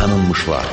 Tanınmışlar.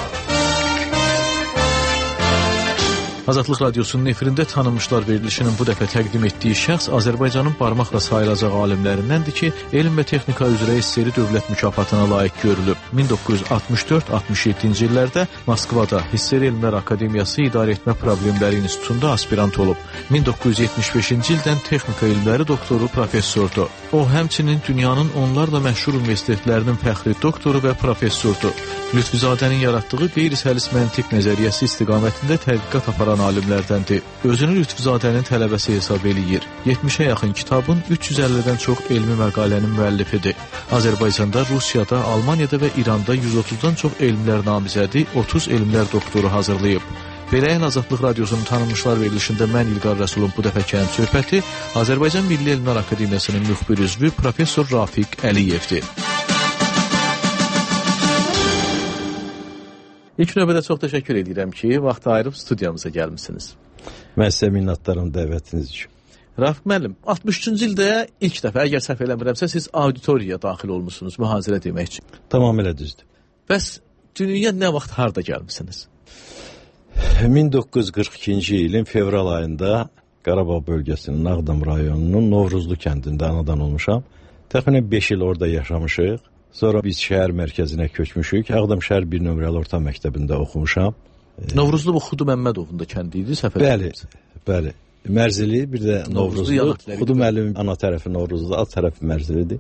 Azadlıq Radiosunun efirində Tanınmışlar verilişinin bu dəfə təqdim etdiyi şəxs Azərbaycanın barmaqla sayılacaq alimlərindəndir ki, elm və texnika üzrə SSR dövlət mükafatına layiq görülüb. 1964-67-ci illərdə Moskvada SSR Elmlər Akademiyası İdarə Etmə Problemləri İnstitutunda aspirant olub. 1975-ci ildən texnika elmləri doktoru, professordur. O, həmçinin dünyanın onlarla məşhur universitetlərinin fəxri doktoru və professordur. Lütfizadənin yaratdığı qeyri-səlis məntiq nəzəriyyəsi istiqamətində tədqiqat aparan alimlərdəndir. Özünü Lütfizadənin tələbəsi hesab eləyir. 70-ə yaxın kitabın 350-dən çox elmi məqalənin müəllifidir. Azərbaycanda, Rusiyada, Almaniyada və İranda 130-dan çox elmlər namizədi, 30 elmlər doktoru hazırlayıb. Beləyin Azadlıq Radiosunun Tanınmışlar verilişində mən İlqar Rəsulun bu dəfəkən söhbəti Azərbaycan Milli Elmlər Akademiyasının müxbir üzvü Professor Rafiq Əliyevdir. İlk növbədə çox təşəkkür edirəm ki, vaxt ayırıb studiyamıza gəlmişsiniz. Mən sizə minnətdaram dəvətiniz üçün. Rafiq müəllim, 63-cü ildə ilk dəfə, əgər səhv eləmirəmsə, siz auditoriyaya daxil olmuşsunuz mühazirə demək üçün. Tamamilə düzdür. Bəs dünyaya nə vaxt, harda gəlmişsiniz? 1942-ci ilin fevral ayında Qarabağ bölgəsinin Ağdam rayonunun Novruzlu kəndində anadan olmuşam. Təxminən 5 il orada yaşamışıq. Sonra biz şəhər mərkəzinə köçmüşük. Ağdam şəhər 1 nömrəli orta məktəbində oxumuşam. Novruzlu bu Xudu Məmmədovun da kəndi idi, səhv eləmirəmsə. Bəli. Mərzili, bir də Novruzlu. Xudu müəllimin ana tərəfi Novruzlu, alt tərəfi Mərzilidir.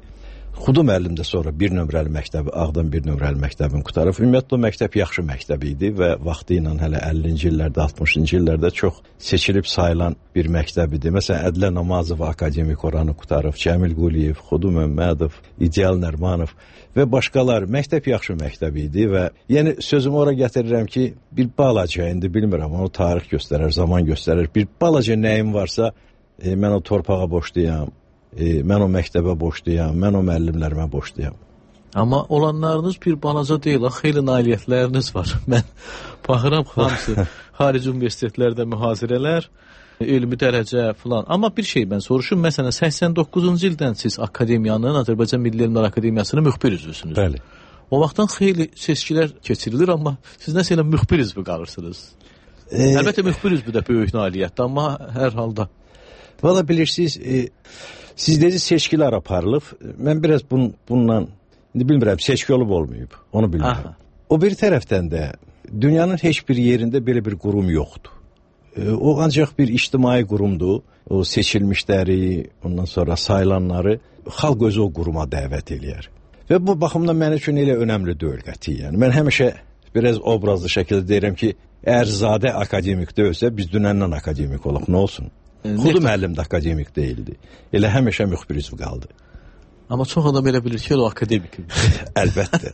Xudu müəllim də sonra 1 nömrəli məktəbi, Ağdam 1 nömrəli məktəbini qutarıb. Ümumiyyətlə o məktəb yaxşı məktəb idi və vaxtı ilə hələ 50-ci illərdə, 60-cı illərdə çox seçilib sayılan bir məktəb idi. Məsələn, Ədlə Namazov akademik oranı qutarıb, Cəmil Quliyev, Xudu Məmmədov, İdeal Nərmanov və başqaları. Məktəb yaxşı məktəb idi və yəni sözümü ora gətirirəm ki, bir balaca, indi bilmirəm, onu tarix göstərər, zaman göstərir. Bir balaca nəyim varsa, mən o torpağa borcluyam. Mən o məktəbə borcluyam, mən o müəllimlərimə borcluyam. Amma olanlarınız bir balaca deyil, xeyli nailiyyətləriniz var. Mən baxıram, hamısı xarici universitetlərdə mühazirələr, elmi dərəcə filan. Amma bir şey mən soruşum, məsələn, 89-cu ildən siz akademiyanın, Azərbaycan Milli Elmlər Akademiyasının müxbir üzvüsünüz. Bəli. O vaxtdan xeyli seçkilər keçirilir, amma siz nəsə elə müxbir üzvü qalırsınız. Əlbəttə, müxbir üzvü də böyük nailiyyətdir, amma hər halda. Valla bilirsiniz, siz dedi seçkilər aparılıb. Mən biraz bununla, indi bilmirəm, seçki olub olmayıb, onu bilmirəm. O bir tərəfdən də dünyanın heç bir yerində belə bir qurum yoxdur. O ancaq bir ictimai qurumdur. O seçilmişləri, ondan sonra sayılanları xalq özü o quruma dəvət eləyər. Və bu baxımdan mənim üçün elə önəmli deyil qətiyyən. Mən həmişə biraz obrazlı şəkildə deyirəm ki, əgər Zadə akademik deyilsə, biz dünəndən akademik olaq, nə olsun? Xudu müəllim də akademik deyildi. Elə həmişə müxbir üzvü qaldı. Amma çox adam elə bilir ki, o akademik. Əlbəttə.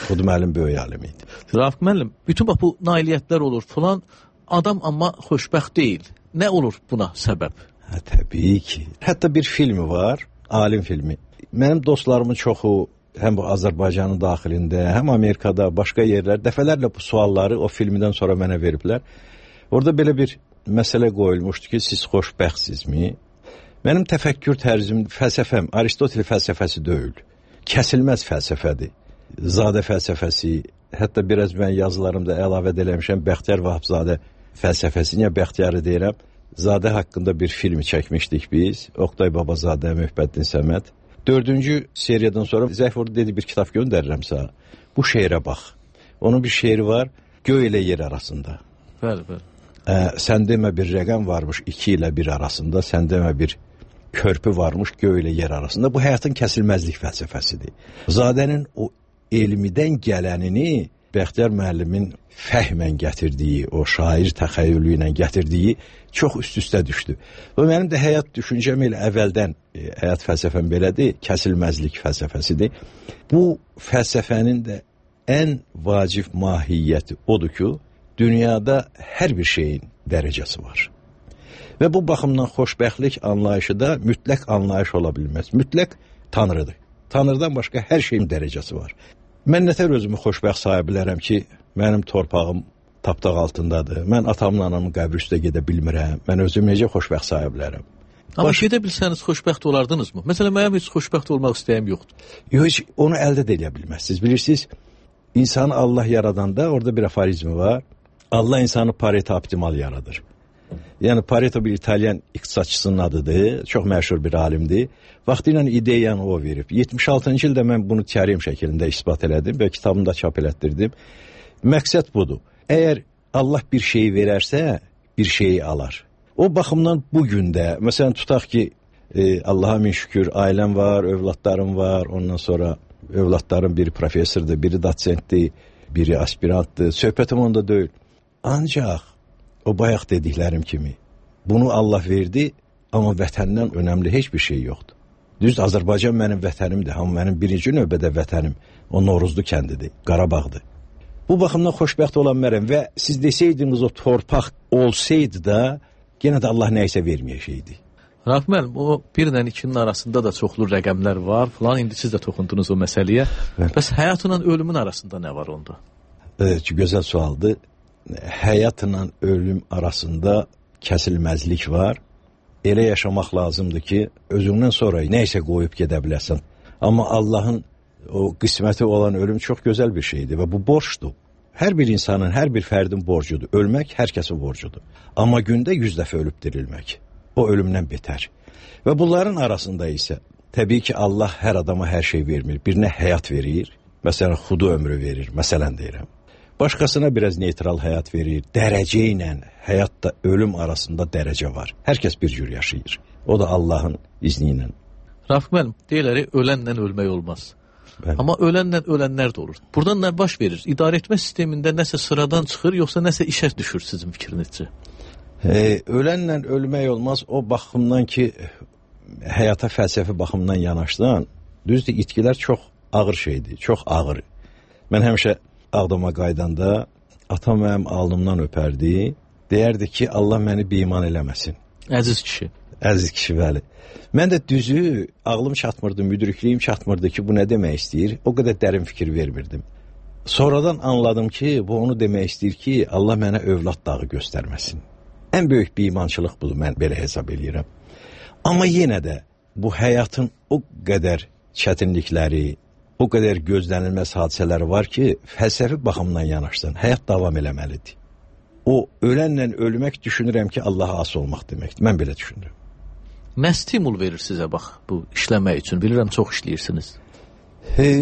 Xudu müəllim böyük alim idi. Rafiq müəllim, bütün bu nailiyyətlər olur falan, adam amma xoşbəxt deyil. Nə olur buna səbəb? Təbii ki. Hətta bir filmi var, alim filmi. Mənim dostlarımın çoxu həm bu Azərbaycanın daxilində, həm Amerikada, başqa yerlər dəfələrlə bu sualları o filmdən sonra mənə veriblər. Orada belə bir məsələ qoyulmuşdu ki, siz xoşbəxtsizmi? Mənim təfəkkür tərzim, fəlsəfəm, Aristotel fəlsəfəsi deyil. Kəsilməz fəlsəfədir. Zadə fəlsəfəsi, hətta biraz mən yazılarımda əlavə eləmişəm, Bəxtiyar Vahabzadə fəlsəfəsini, ya Bəxtiyarı deyirəm. Zadə haqqında bir film çəkmişdik biz, Oqtay Babazadə, Möhbəddin Səməd. 4-cü seriyadan sonra Zəfur dedi, bir kitab göndərirəm sənə. Bu şeirə bax. Onun bir şeiri var, göy ilə yer arasında. Bəli, bəli. Sən demə bir rəqəm varmış 2 ilə 1 arasında, sən demə bir körpü varmış göy ilə yer arasında. Bu həyatın kəsilməzlik fəlsəfəsidir. Zadənin o elmidən gələnini Bəxtiyar müəllimin fəhmən gətirdiyi, o şair təxəyyülü ilə gətirdiyi çox üst-üstə düşdü. Və mənim də həyat düşüncəm elə əvvəldən, həyat fəlsəfəm belədir, kəsilməzlik fəlsəfəsidir. Bu fəlsəfənin də ən vacib mahiyyəti odur ki, dünyada hər bir şeyin dərəcəsi var. Və bu baxımdan xoşbəxtlik anlayışı da mütləq anlayış ola bilməz. Mütləq Tanrıdır. Tanrıdan başqa hər şeyin dərəcəsi var. Mən nətər özümü xoşbəxt saya bilərəm ki, mənim torpağım tapdaq altındadır. Mən atamla anamın qəbri üstə gedə bilmirəm. Mən özümü necə xoşbəxt saya bilərəm? Amma gedə bilsəniz xoşbəxt olardınız mı? Məsələn, mənim heç xoşbəxt olmaq istəyim yoxdur. Yox, heç onu əldə də edə bilməzsiniz. Bilirsiniz, İnsanı Allah yaradanda orada bir aforizmi var. Allah insanı Pareto optimal yaradır. Yəni Pareto bir İtalyan iqtisadçısının adıdır. Çox məşhur bir alimdir. Vaxtilə ideyanı o verib. 76-cı ildə mən bunu teorem şəklində isbat elədim və kitabımda çap elətdirdim. Məqsəd budur. Əgər Allah bir şeyi verərsə, bir şeyi alar. O baxımdan bugün də, məsələn tutaq ki, Allaha min şükür, ailəm var, övladlarım var, ondan sonra övladlarım biri professordur, biri doçentdir, biri aspirantdır. Söhbətim onda deyil. Ancaq o bayaq dediklərim kimi, bunu Allah verdi, amma vətəndən önəmli heç bir şey yoxdur. Düz Azərbaycan mənim vətənimdir, amma mənim birinci növbədə vətənim o Novruzlu kəndidir, Qarabağdır. Bu baxımdan xoşbəxt olan mənəm və siz desəydiniz o torpaq olsaydı da, yenə də Allah nəysə verməyəcəkdi. Rauf müəllim, o 1 ilə 2-nin arasında da çoxlu rəqəmlər var falan. İndi siz də toxundunuz o məsələyə. Bəs həyatla ölümün arasında nə var onda? Gözəl sualdır. Həyatla ölüm arasında kəsilməzlik var. Elə yaşamaq lazımdır ki, özündən sonra nəysə qoyub gedə biləsən. Amma Allahın o qisməti olan ölüm çox gözəl bir şeydir və bu borcdur. Hər bir insanın, hər bir fərdin borcudur. Ölmək hər kəsin borcudur. Amma gündə 100 dəfə ölüb dirilmək. O ölümdən betər. Və bunların arasında isə təbii ki, Allah hər adama hər şey vermir. Birinə həyat verir, məsələn, xudu ömrü verir, məsələn deyirəm. Başqasına biraz neytral həyat verir. Dərəcə ilə həyatla ölüm arasında dərəcə var. Hər kəs bir cür yaşayır. O da Allahın izni ilə. Rauf müəllim, deyirlər, ölənlə ölmək olmaz. Bəli. Amma ölənlə ölənlər də olur. Buradan nə baş verir? İdarəetmə sistemində nəsə sıradan çıxır, yoxsa nəsə işə düşür sizin fikrinizcə? Ölənlə ölmək olmaz o baxımdan ki, həyata fəlsəfi baxımdan yanaşdan, düzdür, itkilər çox ağır şeydir, çox ağır. Mən həmişə Ağdama qaydanda atam mənim alnımdan öpərdi, deyərdi ki, Allah məni beiman eləməsin. Əziz kişi. Əziz kişi, bəli. Mən də düzü, ağlım çatmırdı, müdrikliyim çatmırdı ki, bu nə demək istəyir, o qədər dərin fikir vermirdim. Sonradan anladım ki, bu onu demək istəyir ki, Allah mənə övlad dağı göstərməsin. Ən böyük beimançılıq budur, mən belə hesab edirəm. Amma yenə də bu həyatın o qədər çətinlikləri, o qədər gözlənilməz hadisələri var ki, fəlsəfi baxımdan yanaşsan, həyat davam eləməlidir. O ölənlə ölmək düşünürəm ki, Allaha as olmaq deməkdir. Mən belə düşünürəm. Nə stimul verir sizə bax bu işləmək üçün? Bilirəm, çox işləyirsiniz.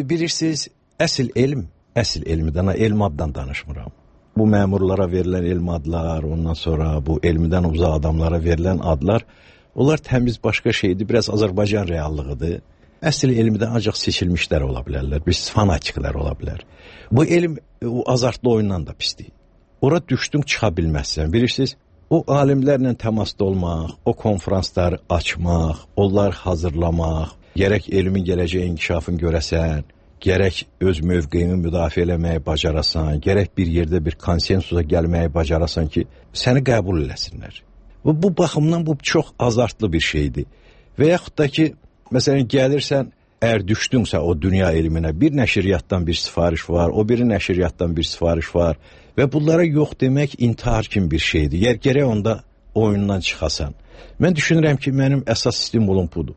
Bilirsiniz, əsl elmdən, elm addan danışmıram. Bu məmurlara verilən elm adlar, ondan sonra bu elmidən uzaq adamlara verilən adlar, onlar təmiz başqa şeydir, biraz Azərbaycan reallığıdır. Əsl elmdən ancaq seçilmişlər ola bilərlər, biz fanatiklər ola bilər. Bu elm o azartlı oyundan da pisdir. Ora düşdün, çıxa bilməzsən. Bilirsiniz, o alimlərlə təmasda olmaq, o konferansları açmaq, onları hazırlamaq, gərək elmin gələcək inkişafını görəsən, gərək öz mövqeyini müdafiə eləməyi bacarasan, gərək bir yerdə bir konsensusa gəlməyi bacarasan ki, səni qəbul eləsinlər. Bu baxımdan bu çox azartlı bir şeydir. Və yaxud da ki, məsələn, gəlirsən, əgər düşdünsə o dünya elminə, bir nəşriyyatdan bir sifariş var, o biri nəşriyyatdan bir sifariş var və bunlara yox demək intihar kimi bir şeydir. Gərək onda oyundan çıxasan. Mən düşünürəm ki, mənim əsas stimulum budur.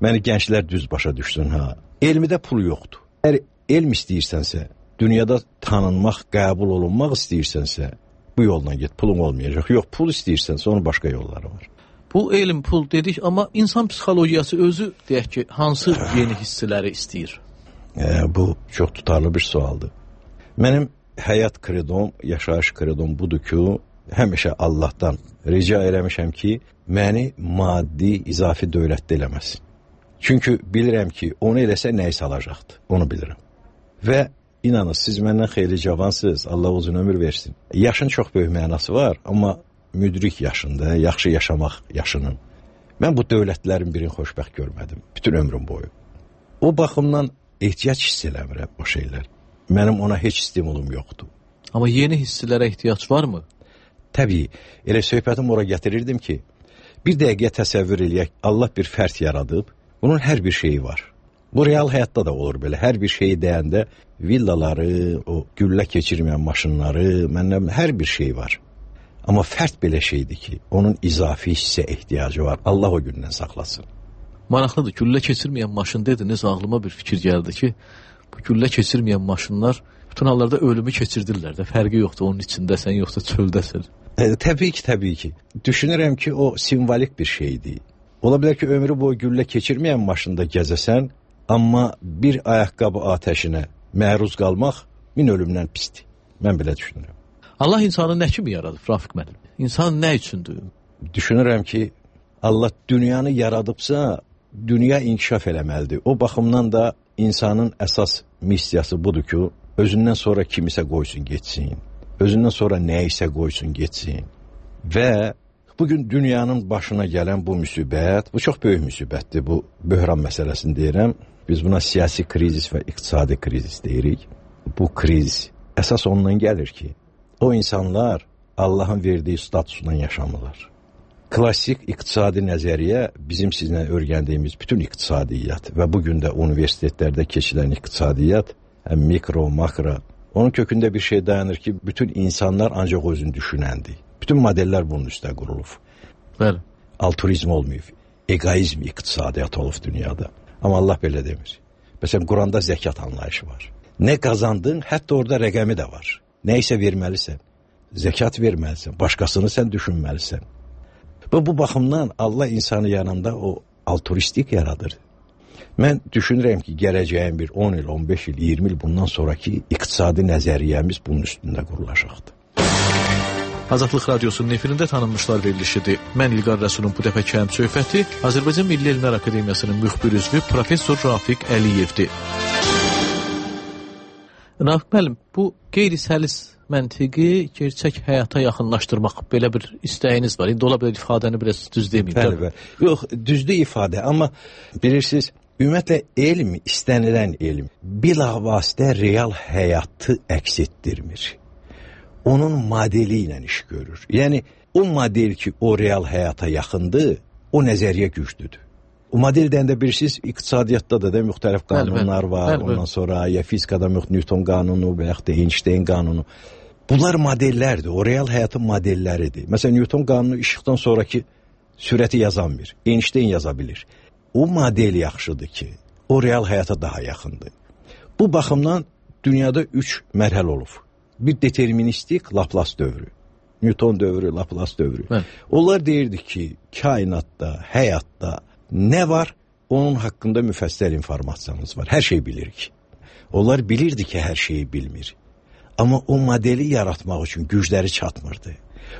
Məni gənclər düz başa düşsün, elmidə pul yoxdur. Əgər elm istəyirsənsə, dünyada tanınmaq, qəbul olunmaq istəyirsənsə, bu yolla get, pulun olmayacaq. Yox, pul istəyirsənsə, onun başqa yolları var. Bu elm, pul dedik, amma insan psixologiyası özü, deyək ki, hansı yeni hissləri istəyir? Bu çox tutarlı bir sualdır. Mənim həyat kredom, yaşayış kredom budur ki, həmişə Allahdan rica eləmişəm ki, məni maddi, izafi dövlətdə eləməsin. Çünki bilirəm ki, onu eləsə nəyisə alacaqdır, onu bilirəm. Və inanın, siz məndən xeyli cavansınız, Allah uzun ömür versin. Yaşın çox böyük mənası var, amma müdrik yaşında, yaxşı yaşamaq yaşının. Mən bu dövlətlərin birini xoşbəxt görmədim, bütün ömrüm boyu. O baxımdan ehtiyac hiss eləmirəm o şeylər. Mənim ona heç stimulum yoxdur. Amma yeni hisslərə ehtiyac varmı? Təbii, elə söhbətim ora gətirirdim ki, bir dəqiqə təsəvvür eləyək, Allah bir fərd yaradıb, bunun hər bir şeyi var. Bu real həyatda da olur belə, hər bir şeyi deyəndə villaları, o güllə keçirməyən maşınları, məndən hər bir şey var. Amma fərd belə şeydir ki, onun izafi hissə ehtiyacı var. Allah o gündən saxlasın. Maraqlıdır, güllə keçirməyən maşın dediniz, ağlıma bir fikir gəldi ki, bu güllə keçirməyən maşınlar Bütün hallarda ölümü keçirdirlər də. Fərqi yoxdur, onun içindəsən, yoxsa çöldəsən. Təbii ki. Düşünürəm ki, o simvolik bir şeydir. Ola bilər ki, ömrü boyu güllə keçirməyən maşında gəzəsən, amma bir ayaqqabı atəşinə məruz qalmaq min ölümdən pisdir. Mən belə düşünürəm. Allah insanı nə kimi yaradıb, Rafiq müəllim? İnsan nə üçündür? Düşünürəm ki, Allah dünyanı yaradıbsa, dünya inkişaf eləməlidir. O baxımdan da insanın əsas missiyası budur ki, özündən sonra kimisə qoysun getsin, özündən sonra nəyisə qoysun getsin. Və bugün dünyanın başına gələn bu müsibət, bu çox böyük müsibətdir, bu böhran məsələsini deyirəm. Biz buna siyasi krizis və iqtisadi krizis deyirik. Bu kriz əsas ondan gəlir ki, o insanlar Allahın verdiyi statusla yaşamırlar. Klassik iqtisadi nəzəriyyə bizim sizinlə öyrəndiyimiz bütün iqtisadiyyat və bugün də universitetlərdə keçilən iqtisadiyyat, mikro, makro, onun kökündə bir şey dayanır ki, bütün insanlar ancaq özünü düşünəndir. Bütün modellər bunun üstə qurulub. Bəli. Altruizm olmayıb, egoizm iqtisadiyyat olub dünyada. Amma Allah belə demir. Məsələn, Quranda zəkat anlayışı var. Nə qazandın, hətta orada rəqəmi də var. Nə isə verməlisən, zəkat verməlisən, başqasını sən düşünməlisən. Və bu baxımdan Allah insanı yanında o altruistik yaradır. Mən düşünürəm ki, gələcəyin bir 10 il, 15 il, 20 il bundan sonraki iqtisadi nəzəriyyəmiz bunun üstündə qurulacaqdır. Azadlıq Radiosunun efirində tanınmışlar verilişidir. Mən İlqar Rəsulun bu dəfəki həmsöhbəti Azərbaycan Milli Elmlər Akademiyasının müxbir üzvü Professor Rafiq Əliyevdir. Rafiq müəllim, bu qeyri-səlis məntiqi gerçək həyata yaxınlaşdırmaq belə bir istəyiniz var. İndi ola bilər ifadəni biraz düz deməyim. Bəli. Yox, düzdür ifadə, amma bilirsiniz, ümumiyyətlə elm, istənilən elm bilavasitə real həyatı əks etdirmir. Onun modeli ilə iş görür. Yəni, o model ki, o real həyata yaxındır, o nəzəriyyə güclüdür. O model deyəndə bilirsiniz, iqtisadiyyatda da müxtəlif qanunlar var, ondan sonra ya fizikada Newton qanunu və yaxud da Einstein qanunu. Bunlar modellərdir, o real həyatın modelləridir. Məsələn, Newton qanunu işıqdan sonraki sürəti yazanmır, Einstein yaza bilir. O model yaxşıdır ki, o real həyata daha yaxındır. Bu baxımdan dünyada 3 mərhələ olub. Bir deterministik Laplace dövrü, Newton dövrü, Laplace dövrü. Onlar deyirdi ki, kainatda, həyatda nə var, onun haqqında müfəssəl informasiyanız var. Hər şey bilirik. Onlar bilirdi ki, hər şeyi bilmir. Amma o modeli yaratmaq üçün gücləri çatmırdı.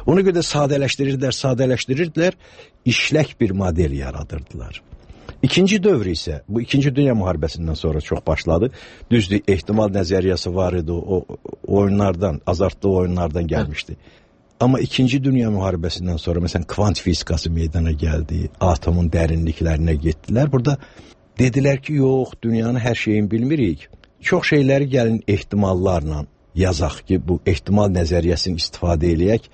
Ona görə sadələşdirirdilər, işlək bir model yaradırdılar. İkinci dövr isə, bu 2-ci Dünya müharibəsindən sonra çox başladı. Düzdür, ehtimal nəzəriyyəsi var idi, o oyunlardan, azartlı oyunlardan gəlmişdi. Amma 2-ci Dünya müharibəsindən sonra, məsələn, kvant fizikası meydana gəldi, atomun dərinliklərinə getdilər. Burada dedilər ki, yox, dünyanın hər şeyini bilmirik. Çox şeyləri gəlin ehtimallarla yazaq ki, bu ehtimal nəzəriyyəsini istifadə eləyək.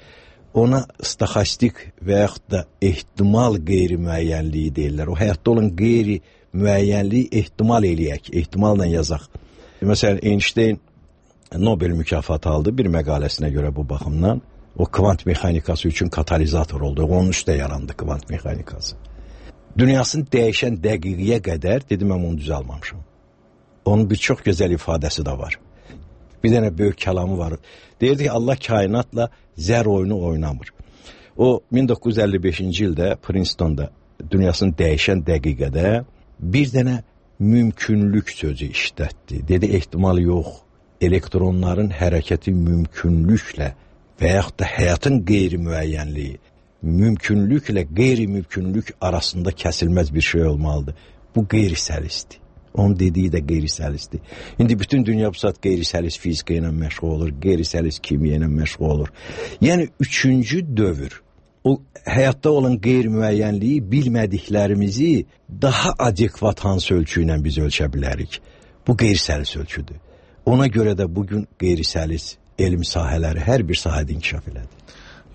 Ona stoxastik və yaxud da ehtimal qeyri-müəyyənliyi deyirlər. O həyatda olan qeyri-müəyyənliyi ehtimal eləyək, ehtimalla yazaq. Məsələn, Einstein Nobel mükafatı aldı bir məqaləsinə görə bu baxımdan. O kvant mexanikası üçün katalizator oldu. Onun üstə yarandı kvant mexanikası. Dünyasını dəyişən dəqiqiyə qədər, dedim, mən onu düz almamışım. Onun bir çox gözəl ifadəsi də var. Bir dənə böyük kəlamı var. Deyirdi ki, Allah kainatla zər oyunu oynamır. O 1955-ci ildə Princeton'da dünyasını dəyişən dəqiqədə bir dənə mümkünlük sözü işlətdi. Dedi, ehtimal yox, elektronların hərəkəti mümkünlüklə və yaxud da həyatın qeyri-müəyyənliyi, mümkünlüklə qeyri-mümkünlük arasında kəsilməz bir şey olmalıdır. Bu qeyri-səlisdir. Onun dediyi də qeyri-səlisdir. İndi bütün dünya bu saat qeyri-səlis fizika ilə məşğul olur, qeyri-səlis kimya ilə məşğul olur. Yəni, 3-cü dövr, o həyatda olan qeyri-müəyyənliyi, bilmədiklərimizi daha adekvat hansı ölçü ilə biz ölçə bilərik. Bu qeyri-səlis ölçüdür. Ona görə də bugün qeyri-səlis elm sahələri hər bir sahədə inkişaf elədi.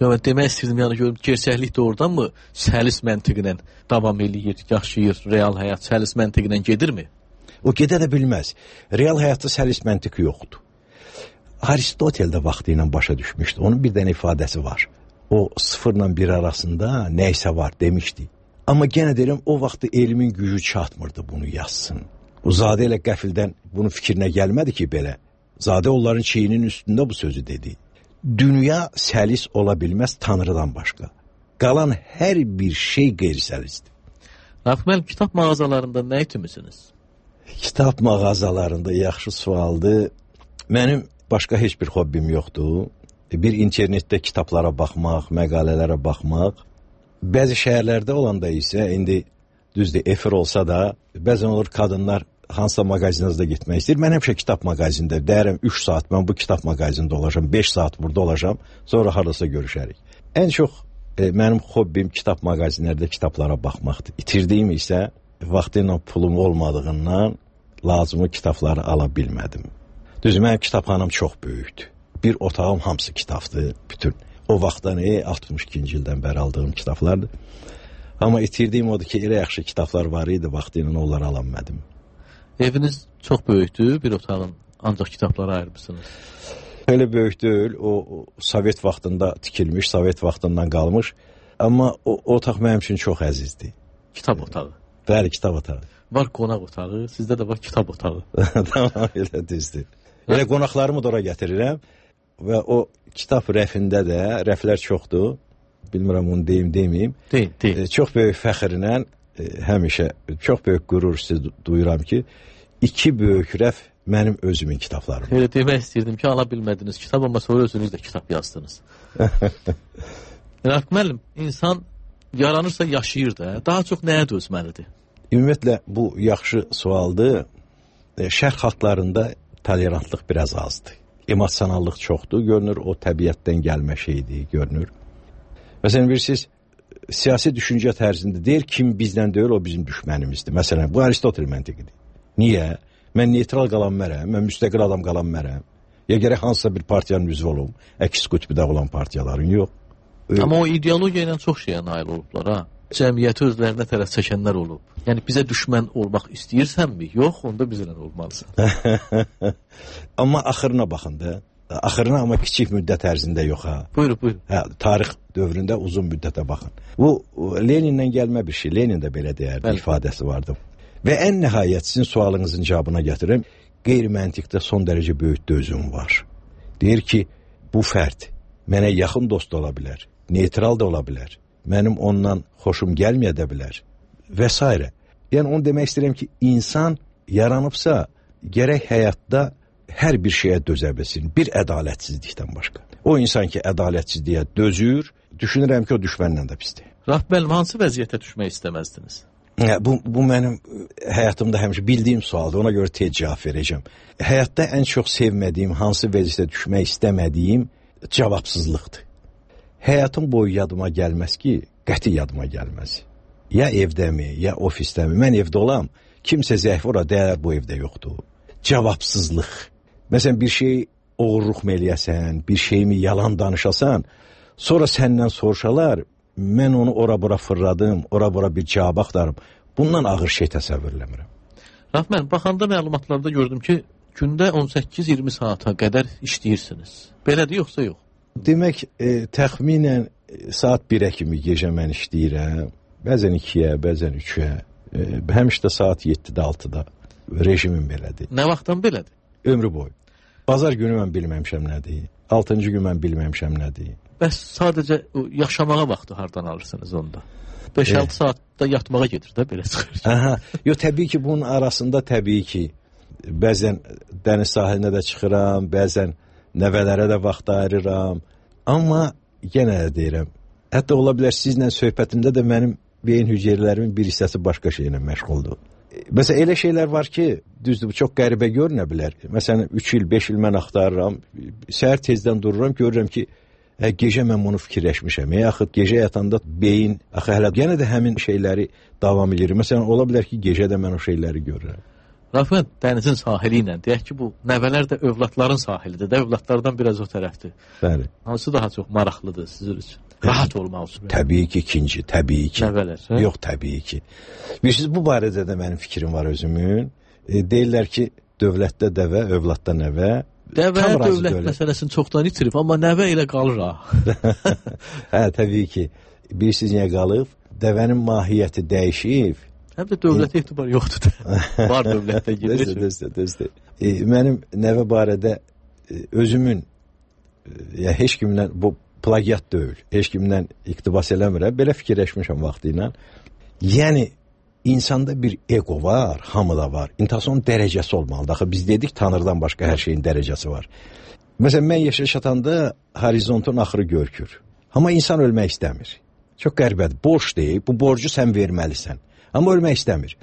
Yox, demək istəyirdim, yəni görüm, gerçəklik doğrudanmı səlis məntiqlə davam eləyir, yaşayır, real həyat səlis məntiqlə gedirmi? O gedə də bilməz. Real həyatda səlis məntiq yoxdur. Aristotel də vaxtı ilə başa düşmüşdü. Onun bir dənə ifadəsi var. O 0 ilə 1 arasında nəysə var demişdi. Amma yenə deyirəm, o vaxtda elmin gücü çatmırdı bunu yazsın. O zadə ilə qəfildən bunun fikrinə gəlmədi ki, belə. Zadə onların çiyinin üstündə bu sözü dedi. Dünya səlis ola bilməz Tanrıdan başqa. Qalan hər bir şey qeyri-səlisdir. Rafiq müəllim, kitab mağazalarında nə itimisiniz? Kitab mağazalarında yaxşı sualdır. Mənim başqa heç bir hobbim yoxdur. Bir internetdə kitablara baxmaq, məqalələrə baxmaq. Bəzi şəhərlərdə olanda isə indi düzdür, efir olsa da, bəzən olur qadınlar hansısa mağazinizdə getmək istəyir. Mən həmişə kitab mağazində deyərəm 3 saat mən bu kitab mağazində olacağam, 5 saat burada olacağam, sonra hardasa görüşərik. Ən çox mənim hobbim kitab mağazinlərdə kitablara baxmaqdır. İtirdiyim isə vaxtı ilə pulum olmadığından lazımı kitabları ala bilmədim. Düzdür, mənim kitabxanam çox böyükdür. Bir otağım hamısı kitabdır, bütün. O vaxtdan 62-ci ildən bəri aldığım kitablardır. Amma itirdiyim odur ki, elə yaxşı kitablar var idi, vaxtı ilə onları ala bilmədim. Eviniz çox böyükdür, bir otağın ancaq kitablara ayırmışsınız. Elə böyük deyil, o Sovet vaxtında tikilmiş, Sovet vaxtından qalmış. Amma o otaq mənim üçün çox əzizdir. Kitab otağı. Bəli, kitab otağı. Var qonaq otağı, sizdə də var kitab otağı. Tamam, elə düzdür. Elə qonaqlarımı da ora gətirirəm və o kitab rəfində də, rəflər çoxdur. Bilmirəm onu deyim, deməyim. Deyim. Çox böyük fəxrlə, həmişə çox böyük qürur siz duyuram ki, 2 böyük rəf mənim özümün kitablarım. Elə demək istəyirdim ki, ala bilmədiniz kitab, amma sonra özünüz də kitab yazdınız. Rafiq müəllim, insan yaranırsa yaşayır da, daha çox nəyə dözməlidir? Ümumiyyətlə, bu yaxşı sualdır. Şərq xalqlarında tolerantlıq biraz azdır. Emosionallıq çoxdur, görünür, o təbiətdən gəlmə şeydir, görünür. Məsələn, bilirsiniz, siyasi düşüncə tərzində deyir, kim bizdən deyil, o bizim düşmənimizdir. Məsələn, bu Aristotel məntiqidir. Niyə? Mən neytral qalan mərəm, mən müstəqil adam qalan mərəm. Ya gərək hansısa bir partiyanın üzvü olum, əks qütbüdə olan partiyaların, yox. Amma o ideologiya ilə çox şeyə nail olublar, ha. Cəmiyyəti özlərinə tərəf çəkənlər olub. Yəni, bizə düşmən olmaq istəyirsənmi? Yox, onda bizlə olmalısan. Amma axırına baxın da. Axırına amma kiçik müddət ərzində yox, ha. Buyurun. Tarix dövründə uzun müddətə baxın. Bu, Lenindən gəlmə bir şey. Lenin də belə deyərdi, ifadəsi vardı. Və ən nəhayət sizin sualınızın cavabına gətirim. Qeyri-məntiqdə son dərəcə böyük dözüm var. Deyir ki, bu fərd mənə yaxın dost ola bilər, neytral da ola bilər, mənim ondan xoşum gəlməyə də bilər və s. Yəni, onu demək istəyirəm ki, insan yaranıbsa, gərək həyatda hər bir şeyə dözə bilsin, bir ədalətsizlikdən başqa. O insan ki, ədalətsizliyə dözür, düşünürəm ki, o düşmənlə də pisdir. Rafiq müəllim, hansı vəziyyətə düşmək istəməzdiniz? Bu mənim həyatımda həmişə bildiyim sualdır, ona görə tez cavab verəcəm. Həyatda ən çox sevmədiyim, hansı vəziyyətə düşmək istəmədiyim cavabsızlıqdır. Həyatım boyu yadıma gəlməz ki, qəti yadıma gəlməz. Ya evdəmi, ya ofisdəmi, mən evdə olam, kimsə zəif ora deyər, bu evdə yoxdur. Cavabsızlıq. Məsələn, bir şey oğurluq eləyəsən, bir şeyimi yalan danışasan, sonra səndən soruşalar, mən onu ora-bura fırladım, ora-bura bir cavab axtarım. Bundan ağır şey təsəvvür eləmirəm. Rafiq müəllim, baxanda məlumatlarda gördüm ki, gündə 18-20 saata qədər işləyirsiniz. Belədir, yoxsa yox? Demək, təxminən saat 1-ə kimi gecə mən işləyirəm. Bəzən 2-yə, bəzən 3-ə. Həmişə də saat 7-də, 6-da rejimim belədir. Nə vaxtdan belədir? Ömrü boyu. Bazar günü mən bilməmişəm nədir. 6-cı gün mən bilməmişəm nədir. Bəs sadəcə yaşamağa vaxtı hardan alırsınız onda? 5-6 saatda yatmağa gedir də, belə çıxır. Aha, yox, təbii ki, bunun arasında təbii ki, bəzən dəniz sahilinə də çıxıram, bəzən nəvələrə də vaxt ayırıram. Amma yenə də deyirəm, hətta ola bilər sizlə söhbətimdə də mənim beyin hüceyrələrimin bir hissəsi başqa şeylə məşğuldur. Məsələn, elə şeylər var ki, düzdür, bu çox qəribə görünə bilər. Məsələn, 3 il, 5 il mən axtarıram, səhər tezdən dururam, görürəm ki, gecə mən bunu fikirləşmişəm. Yaxud gecə yatanda beyin, hələ yenə də həmin şeyləri davam edir. Məsələn, ola bilər ki, gecə də mən o şeyləri görürəm. Rafiq, dənizin sahili ilə, deyək ki, bu nəvələr də övladların sahilidir də, övladlardan biraz o tərəfdir. Bəli. Hansı daha çox maraqlıdır sizin üçün? Rahat olmaq üçün. Təbii ki, ikinci, təbii ki. Nəvələr, hə? Yox, təbii ki. Bilirsiniz, bu barədə də mənim fikrim var özümün. Deyirlər ki, dövlətdə dəvə, övladda nəvə. Dəvə dövlət məsələsini çoxdan itirib, amma nəvə ilə qalır ha. Hə, təbii ki. Bilirsiniz, niyə qalıb? Dəvənin mahiyyəti dəyişib. Həm də dövlətə etibar yoxdur da. Var dövlətdə gedir. Düzdür. Mənim nəvə barədə özümün heç kimdən bu plagiat deyil, heç kimdən iqtibas eləmirəm, belə fikirləşmişəm vaxtı ilə. Yəni insanda bir ego var, hamıda var. İnsanın dərəcəsi olmalıdır. Axı biz dedik Tanrıdan başqa hər şeyin dərəcəsi var. Məsələn, mən yaşa çatanda horizontun axırı görükür. Amma insan ölmək istəmir. Çox qəribədir. Borc deyil, bu borcu sən verməlisən. Amma ölmək istəmir.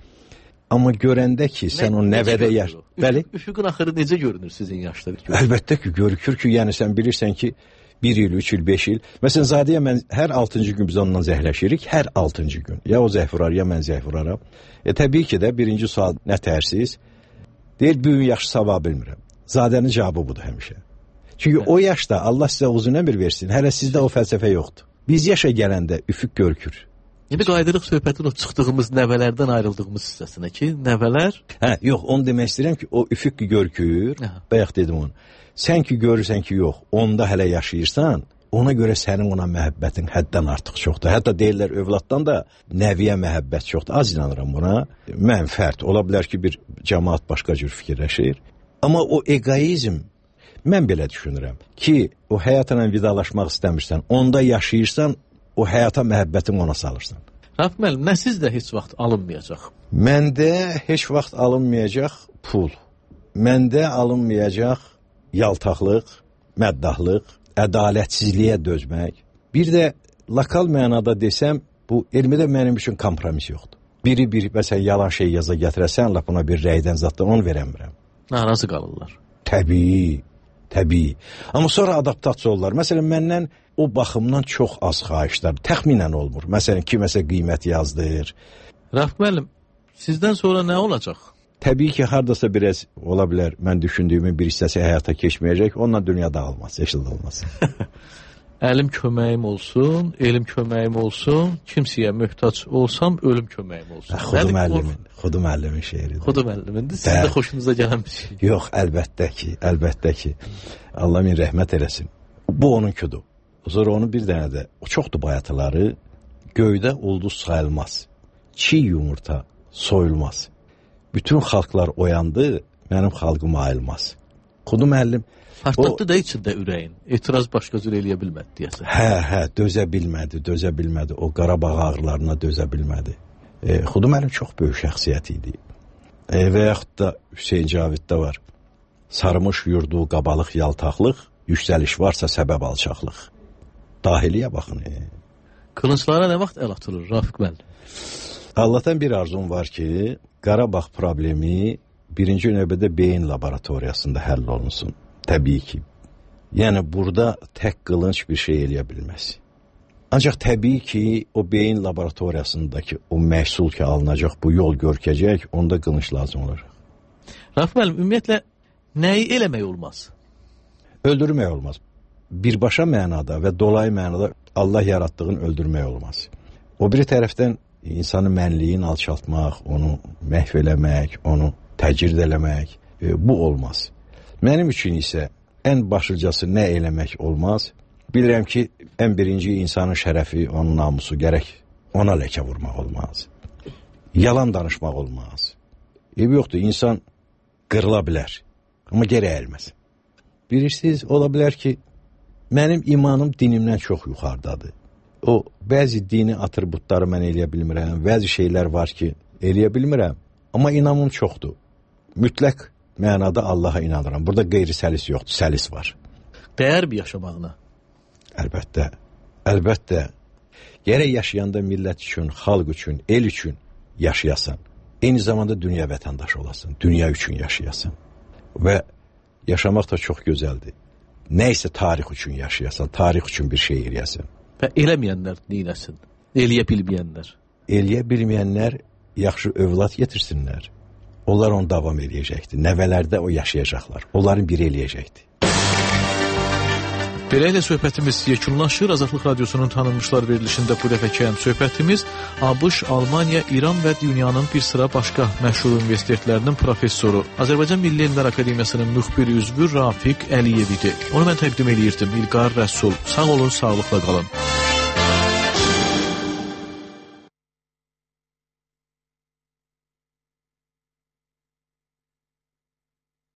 Amma görəndə ki, sən o nəvədə yaş... Bəli? Üfüqün axırı necə görünür sizin yaşda? Əlbəttə ki, görükür ki, yəni sən bilirsən ki, 1 il, 3 il, 5 il. Məsələn, Zadiyə mən hər 6-cı gün biz ondan zəhləşirik, hər 6-cı gün. Ya o zəhv vurar, ya mən zəhv vuraram. Təbii ki də birinci sual nə tərsiz? Deyir, bu gün yaxşı sabah bilmirəm. Zadənin cavabı budur həmişə. Çünki o yaşda Allah sizə uzun ömür versin, hələ sizdə o fəlsəfə yoxdur. Biz yaşa gələndə üfüq görükür. İndi qaydırıq söhbətin o çıxdığımız nəvələrdən ayrıldığımız hissəsinə ki, nəvələr... Yox, onu demək istəyirəm ki, o üfüq görükür, bayaq dedim onu. Sən ki görürsən ki, yox, onda hələ yaşayırsan, ona görə sənin ona məhəbbətin həddən artıq çoxdur. Hətta deyirlər, övladdan da nəviyə məhəbbət çoxdur. Az inanıram buna. Mən fərd, ola bilər ki, bir cəmaat başqa cür fikirləşir. Amma o egoizm, mən belə düşünürəm ki, o həyatla vidalaşmaq istəmirsən, onda yaşayırsan, o həyata məhəbbətin ona salırsan. Rauf müəllim, nə sizdə heç vaxt alınmayacaq? Məndə heç vaxt alınmayacaq pul. Məndə alınmayacaq yaltaqlıq, məddahlıq, ədalətsizliyə dözmək. Bir də lokal mənada desəm, bu elmdə mənim üçün kompromis yoxdur. Biri məsələn, yalan şey yaza gətirəsən, lap ona bir rəydən zatdan onu verəmirəm. Narazı qalırlar. Təbii. Amma sonra adaptasiya olurlar. Məsələn, məndən o baxımdan çox az xahişlər, təxminən olmur. Məsələn, kiməsə qiymət yazdır. Rauf müəllim, sizdən sonra nə olacaq? Təbii ki, hardasa biraz ola bilər, mən düşündüyümün bir hissəsi həyata keçməyəcək, onunla dünya dağılmaz, yaşıl olmaz. Əlim köməyim olsun, elim köməyim olsun, kimsəyə möhtac olsam, ölüm köməyim olsun. Xudu müəllimin şeiridir. Xudu müəllimindir, sizin də xoşunuza gələn bir şey. Yox, əlbəttə ki, Allah min rəhmət eləsin. Bu onunkudur. Sonra onun bir dənə də, o çoxdur bayatıları, göydə ulduz sayılmaz, çiğ yumurta soyulmaz. Bütün xalqlar oyandı, mənim xalqım ayılmaz. Xudu müəllim... Partlatdı da içində ürəyin. Etiraz başqa cür eləyə bilmədi, deyəsən. Dözə bilmədi. O Qarabağ ağrılarına dözə bilmədi. Xudu müəllim çox böyük şəxsiyyət idi. Və yaxud da Hüseyin Caviddə var. Sarmış yurdu qabalıq yaltaqlıq, yüksəliş varsa səbəb alçaqlıq. Dahiliyə baxın. Qılınclara nə vaxt əl atılır, Rafiq müəllim? Allahdan bir arzum var ki, Qarabağ problemi birinci növbədə beyin laboratoriyasında həll olunsun. Təbii ki. Yəni, burada tək qılınc bir şey eləyə bilməz. Ancaq təbii ki, o beyin laboratoriyasındakı o məhsul ki, alınacaq, bu yol görkəcək, onda qılınc lazım olacaq. Rauf müəllim, ümumiyyətlə, nəyi eləmək olmaz? Öldürmək olmaz. Birbaşa mənada və dolayı mənada Allah yaratdığını öldürmək olmaz. O biri tərəfdən insanın mənliyin alçaltmaq, onu məhv eləmək, onu təcrid eləmək, bu olmaz. Mənim üçün isə ən başlıcası nə eləmək olmaz? Bilirəm ki, ən birinci insanın şərəfi, onun namusu gərək ona ləkə vurmaq olmaz. Yalan danışmaq olmaz. Yoxdur, insan qırıla bilər, amma geri əyilməz. Bilirsiniz, ola bilər ki, mənim imanım dinimdən çox yuxarıdadır. O, bəzi dini atributları mən eləyə bilmirəm, bəzi şeylər var ki, eləyə bilmirəm, amma inamım çoxdur. Mütləq mənada Allaha inanıram. Burada qeyri-səlis yoxdur, səlis var. Dəyər bir yaşamağına? Əlbəttə. Gərək yaşayanda millət üçün, xalq üçün, el üçün yaşayasan. Eyni zamanda dünya vətəndaşı olasın, dünya üçün yaşayasan. Və yaşamaq da çox gözəldir. Nə isə tarix üçün yaşayasan, tarix üçün bir şey eləyəsən. Və eləməyənlər neyləsin? Eləyə bilməyənlər? Eləyə bilməyənlər yaxşı övlad getirsinlər. Onlar onu davam eləyəcəkdir. Nəvələrdə o yaşayacaqlar. Onların biri eləyəcəkdir. Beləliklə söhbətimiz yekunlaşır. Azadlıq Radiosunun tanınmışlar verilişində bu dəfəki söhbətimiz ABŞ, Almaniya, İran və dünyanın bir sıra başqa məşhur universitetlərinin professoru, Azərbaycan Milli Elmlər Akademiyasının müxbir üzvü Rafiq Əliyev idi. Onu mən təqdim eləyirdim. İlqar Rəsul. Sağ olun, sağlıqla qalın.